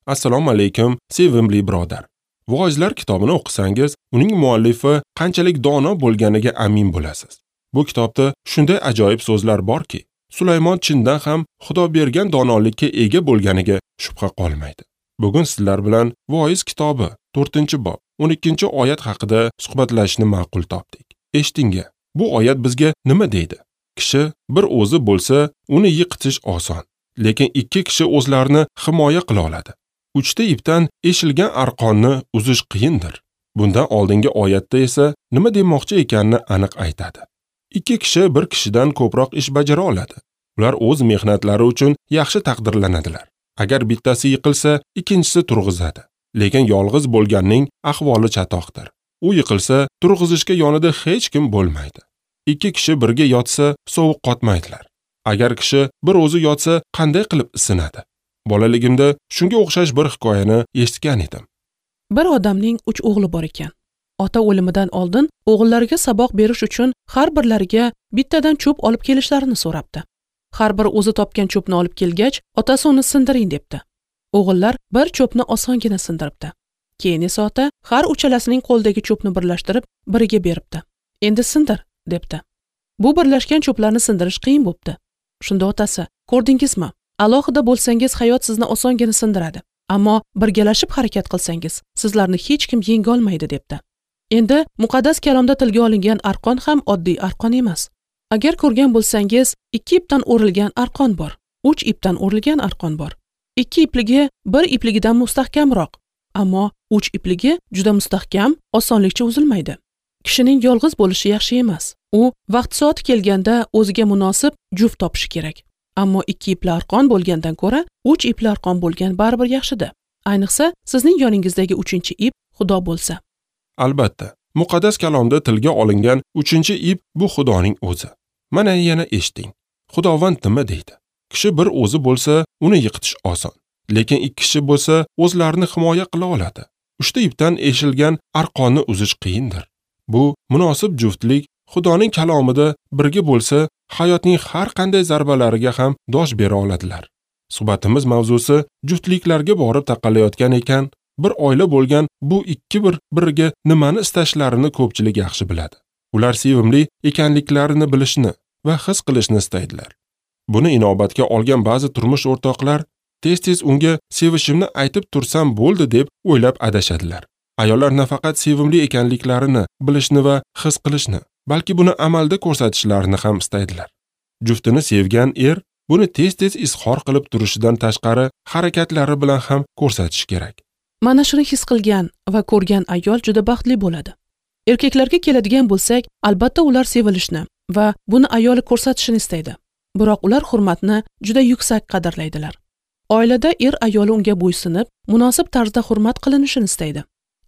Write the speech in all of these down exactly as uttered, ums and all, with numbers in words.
Assalomu alaykum, sevimli birodar. Voizlar kitobini o'qisangiz, uning muallifi qanchalik dono bo'lganiga amin bo'lasiz. Bu kitobda shunday ajoyib so'zlar borki, Sulaymon chindan ham Xudo bergan donolikka ega bo'lganiga shubha qolmaydi. Bugun sizlar bilan Voiz kitobi to'rtinchi bob o'n ikkinchi oyat haqida suhbatlashishni ma'qul topdik. Eshiting-a, bu oyat bizga nima deydi? Kishi bir o'zi bo'lsa, uni yiqitish oson, lekin ikki kishi o'zlarini himoya qila oladi. Uchta ipdan eshilgan arqonni uzish qiyindir. Bundan oldingi oyatda esa nima demoqchi ekanini aniq aytadi. Ikki kishi bir kishidan ko'proq ish bajara oladi. Ular o'z mehnatlari uchun yaxshi taqdirlanadilar. Agar bittasi yiqilsa, ikkinchisi turg'izadi. Lekin yolg'iz bo'lganning ahvoli chatoqdir. U yiqilsa, turg'izishga yonida hech kim bo'lmaydi. Ikki kishi birga yotsa, sovuq qotmaydilar. Agar kishi bir o'zi yotsa, qanday qilib isinadi? Bolaligimda shunga o'xshash bir hikoyani eshitgan edim. Bir odamning uch o'g'li bor ekan. Ota o'limidan oldin o'g'illariga saboq berish uchun har birlariga bittadan cho'p olib kelishlarini so'rabdi. Har bir o'zi topgan cho'pni olib kelgach, otasi uni sindiring debdi. O'g'illar bir cho'pni osongina sindiribdi. Keyin esa ota har uchalasining qo'lidagi cho'pni birlashtirib biriga beribdi. Endi sindir, debdi. Bu birlashgan cho'plarni sindirish qiyin bo'pti. Shunda otasi, ko'rdingizmi? Alohida bo'lsangiz hayot sizni osongina sindiradi. Ammo birgalashib harakat qilsangiz, sizlarni hech kim yenga olmaydi, debdi. Endi muqaddas kalomda tilga olingan arqon ham oddiy arqon emas. Agar ko'rgan bo'lsangiz, ikki ipdan o'rilgan arqon bor, uch ipdan o'rilgan arqon bor. Ikki ipligi bir ipligidan mustahkamroq, ammo uch ipligi juda mustahkam, osonlikcha uzilmaydi. Kishining yolg'iz bo'lishi yaxshi emas. U vaqt soati kelganda o'ziga munosib juft topishi kerak. Ammo ikki ipli arqon bo'lgandan ko'ra uch ipli arqon bo'lgan baribir yaxshida. Ayniqsa, sizning yoningizdagi uchinchi ip Xudo bo'lsa. Albatta, muqaddas kalomda tilga olingan uchinchi ip bu Xudoning o'zi. Mana yana eshiting. Xudovand nima deydi? Kishi bir o'zi bo'lsa, uni yiqitish oson. Lekin ikki kishi bo'lsa, o'zlarini himoya qila oladi. Uchta ipdan eshilgan arqonni uzish qiyindir. Bu munosib juftlik Xudoning kalomida birga bo'lsa, hayotning har qanday zarbalariga ham dosh bera oladilar. Suhbatimiz mavzusi juftliklarga borib taqalayotgan ekan, bir oila bo'lgan bu ikki bir biriga nimani istashlarini ko'pchilik yaxshi biladi. Ular sevimli ekanliklarini bilishni va his qilishni istaydilar. Buni inobatga olgan ba'zi turmush o'rtoqlar tez-tez unga sevishimni aytib tursam bo'ldi deb o'ylab adashadilar. Ayollar nafaqat sevimli ekanliklarini bilishni va his qilishni, balki buni amalda ko'rsatishlarini ham istaydilar. Juftini sevgan er buni tez-tez izhor qilib turishidan tashqari harakatlari bilan ham ko'rsatish kerak. Mana shuni his qilgan va ko'rgan ayol juda baxtli bo'ladi. Erkaklarga keladigan bo'lsak, albatta ular sevilishni va buni ayoli ko'rsatishini istaydi. Biroq ular hurmatni juda yuksak qadrlaydilar. Oilada er ayoli unga bo'ysunib, munosib tarzda hurmat qilinishini istaydi.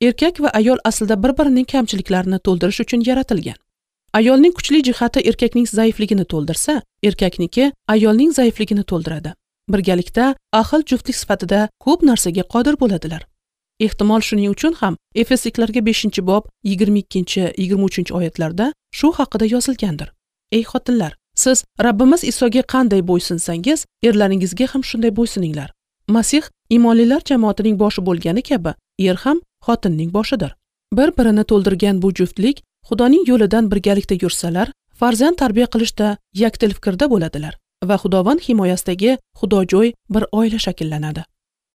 Erkak va ayol aslida bir-birining kamchiliklarini to'ldirish uchun yaratilgan. Ayolning kuchli jihati erkakning zaifligini to'ldirsa, erkakniki ayolning zaifligini to'ldiradi. Birgalikda ahil juftlik sifatida ko'p narsaga qodir bo'ladilar. Ehtimol shuning uchun ham Efesliklarga beshinchi bob yigirma ikkinchi yigirma uchinchi oyatlarda shu haqida yozilgandir. Ey xotinlar, siz Rabbimiz Isoga qanday bo'ysunsangiz, erlaringizga ham shunday bo'ysuninglar. Masih iymonlilar jamoatining boshi bo'lgani kabi, er ham xotinning boshidir. Bir-birini to'ldirgan bu juftlik Xudoning yo'lidan birgalikda yursalar, farzand tarbiya qilishda yakdil fikrda bo'ladilar va Xudovand himoyasidagi xudojo'y bir oila shakllanadi.